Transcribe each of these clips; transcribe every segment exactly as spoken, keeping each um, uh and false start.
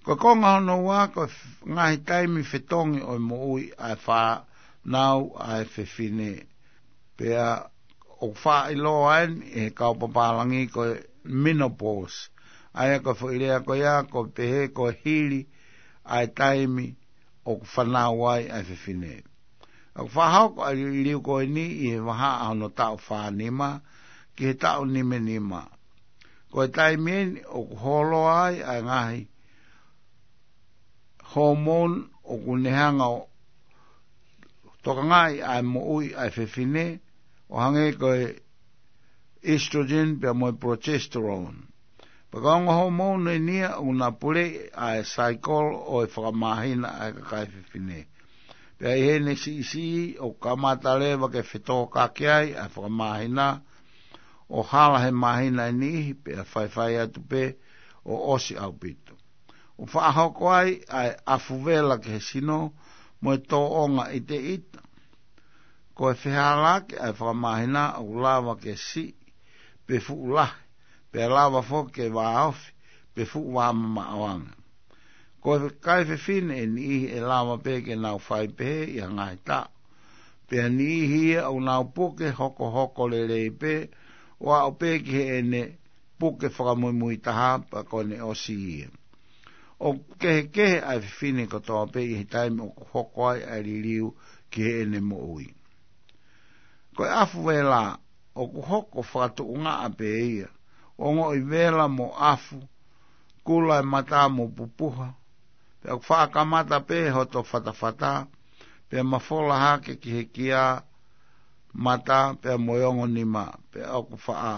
Ko e konga hono ua, ko e f-, ngaahi taimi fetongi ʻo e moʻui ʻa e fānau ʻa e fefine. Pea ʻoku faʻa ʻiloa eni ʻe he kau pālangi ko e menopause. ʻA ia ko e foʻi lea ko ia, ʻoku pehē ko e hili ʻa e taimi ʻoku fānau ai ʻa e fefine. ʻOku faʻa hoko ʻa e liliu ko eni ʻi he vahaʻa hono taʻu fā nima ki he taʻu nima nima. Ko e taimi eni ʻoku holoa ai ʻa e ngaahi hormone ʻoku ne hanga ʻo tokangaʻi ʻa e moʻui ʻa e fefine, ʻo hangē ko e estrogen pea mo e progesterone. Pea ko e ongo hormone eni ia ʻoku na puleʻi ʻa e cycle ʻo e fakamāhina ʻa e kakai fefine. Pea ʻi heʻene siʻisiʻi ʻoku kamata leva ke fetōkaki ai ʻa e fakamāhina, ʻo hala he māhina ʻe niʻihi pea faifai atu pē ʻo ʻosi ʻaupito. ʻOku faʻa hoko ai ʻa e ʻafu vela ki he sino mo e tōʻonga ʻiteʻita. Ko e fehālaaki ʻa e fakamāhina ʻoku lava ke siʻi pe fuʻu lahi, pea lava foki ke vāofi pe fuʻu vāmamaʻo ange. Ko e kakai fefine ʻe niʻihi ʻe lava pē ke nau fai pehē ʻi ha ngaahi taʻu. Pea niʻihi ia ʻoku nau puke hokohoko lelei pē, ʻo aʻu pē ki heʻene puke fakamuimui taha pea ko ʻene ʻosi ia. ʻOku kehekehe ʻa e fefine kotoa pē ʻi he taimi ʻoku hoko ai ʻa e liliu ki heʻene moʻui. Ko e ʻafu vela ʻoku hoko fakatuʻungaʻa pē ia, ʻo ongoʻi vela mo ʻafu, kula e mata mo pupuha, pea ʻoku faʻa kamata pē hoto fatafata, pea mafola hake ki he kia mata, pea mo e ongo nima, pea ʻoku faʻa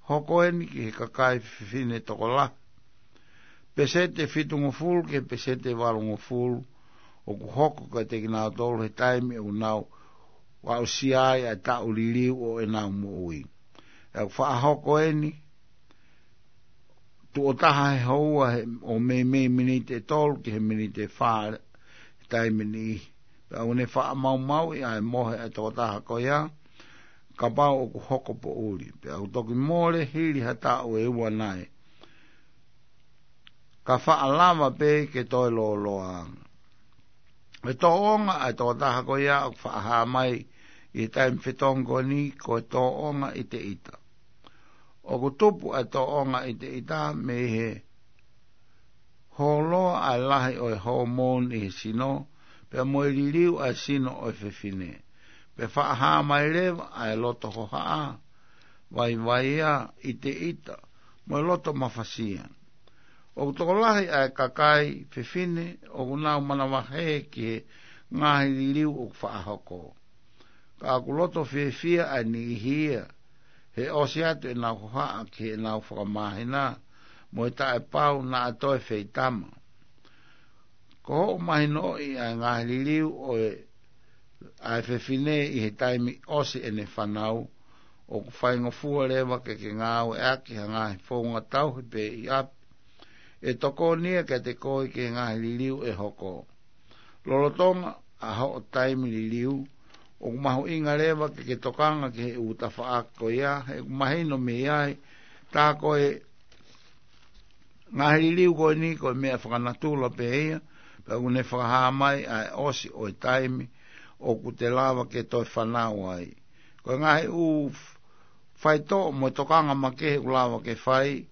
hoko eni ki he kakai fefine tokolahi. Peseti fitungofulu ki he peseti valungofulu ʻoku hoko kiate kinautolu he taimi ʻoku nau aʻusia ai ʻa e taʻu liliu ʻo ʻenau moʻui. Pea ʻoku faʻa hoko eni tuʻo taha he houa he, ʻo meimei miniti ʻe tolu ki he miniti ʻe fā he taimi ni. Pea ʻoku ne faʻa maumauʻi ʻa e mohe ʻa e tokotaha ko ia, kapau ʻoku hoko poʻuli. Pea ʻoku toki mole hili ha taʻu ʻe ua nai, ka faʻa lava pē ke toe lōloa ange. Ko e tōʻonga ʻa e tokotaha ko ia ʻoku faʻa hā mai ʻi he taimi fetongi ko eni ko e tōʻonga ʻiteʻita. ʻOku tupu ʻa e tōʻonga ʻiteʻita mei he holoa ʻa e lahi ʻo e hormone ʻi he sino, pea mo e liliu ʻa e sino ʻo e fefine. Pea faʻa hā mai leva ʻa e loto hohaʻa, vaivai ʻa e ʻiteʻita, mo e loto mafasia. ʻOku tokolahi ʻa e kakai fefine ʻoku nau manavahē ki he ngaahi liliu ʻoku faʻa hoko. Ka ʻoku loto fiefia ʻa e niʻihi ia he ʻosi atu ʻenau hohaʻa ki heʻenau fakamāhina, mo e taʻepau naʻa toe feitama. Ko hoʻo mahinoʻi ʻa e ngaahi liliu ʻo e, ʻa e fefine ʻi he taimi ʻosi ʻene fānau, ʻoku faingofua leva ke ke ngāueʻaki ha ngaahi founga tauhi pē ʻi ʻapi ʻe tokoni ia kiate koe ki he ngaahi liliu ʻe hoko. Lolotonga ʻa hoʻo taimi liliu, ʻoku mahuʻinga leva ke ke tokanga ki he ʻū tafaʻaki ko ia, he ʻoku mahino mei ai, tā ko e ngaahi liliu ko eni ko e meʻa fakanatula pē ia, pea ʻoku ne fakahā mai ʻa e ʻosi ʻo e taimi ʻoku te lava ke toe fānau ai. Ko e ngaahi ʻū f-, faitoʻo mo e tokanga makehe ʻoku lava ke fai,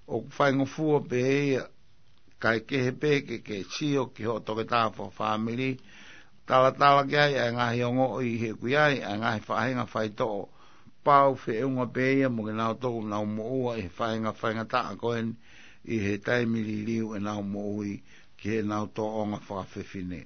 ʻoku faingofua pē ia, kae kehe pē ke ke sio ki hoʻo toketā fakafāmili, talatala ki ai ʻa e ngaahi ongoʻi he ʻoku ʻi ai ʻa e ngaahi faʻahinga faitoʻo pau feʻunga pē ia mo kinautolu ʻoku nau moʻua ʻi he faʻahinga faingataʻa ko eni ʻi he taimi liliu ʻenau moʻui ki heʻenau tōʻonga fakafefine.